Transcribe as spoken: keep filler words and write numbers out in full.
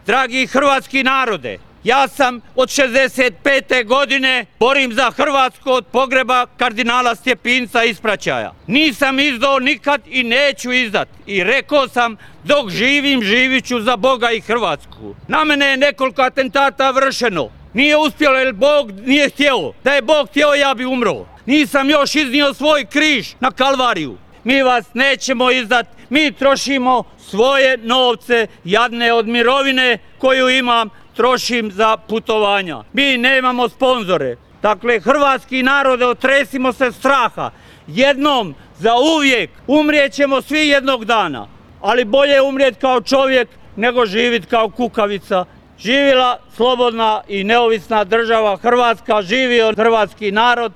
Dragi hrvatski narode, ja sam od šezdeset pete godine borim za Hrvatsku od pogreba kardinala Stjepinca ispraćaja. Nisam izdao nikad i neću izdat. I rekao sam, dok živim, živit ću za Boga i Hrvatsku. Na mene je nekoliko atentata vršeno. Nije uspjelo jer Bog nije htio. Da je Bog htio, ja bi umro. Nisam još iznio svoj križ na Kalvariju. Mi vas nećemo izdat, mi trošimo svoje novce, jadne od mirovine koju imam, trošim za putovanja. Mi nemamo sponzore. Dakle, hrvatski narode, otresimo se straha. Jednom, za uvijek, umrijet ćemo svi jednog dana. Ali bolje umrijet kao čovjek nego živit kao kukavica. Živjela slobodna i neovisna država Hrvatska, živio hrvatski narod.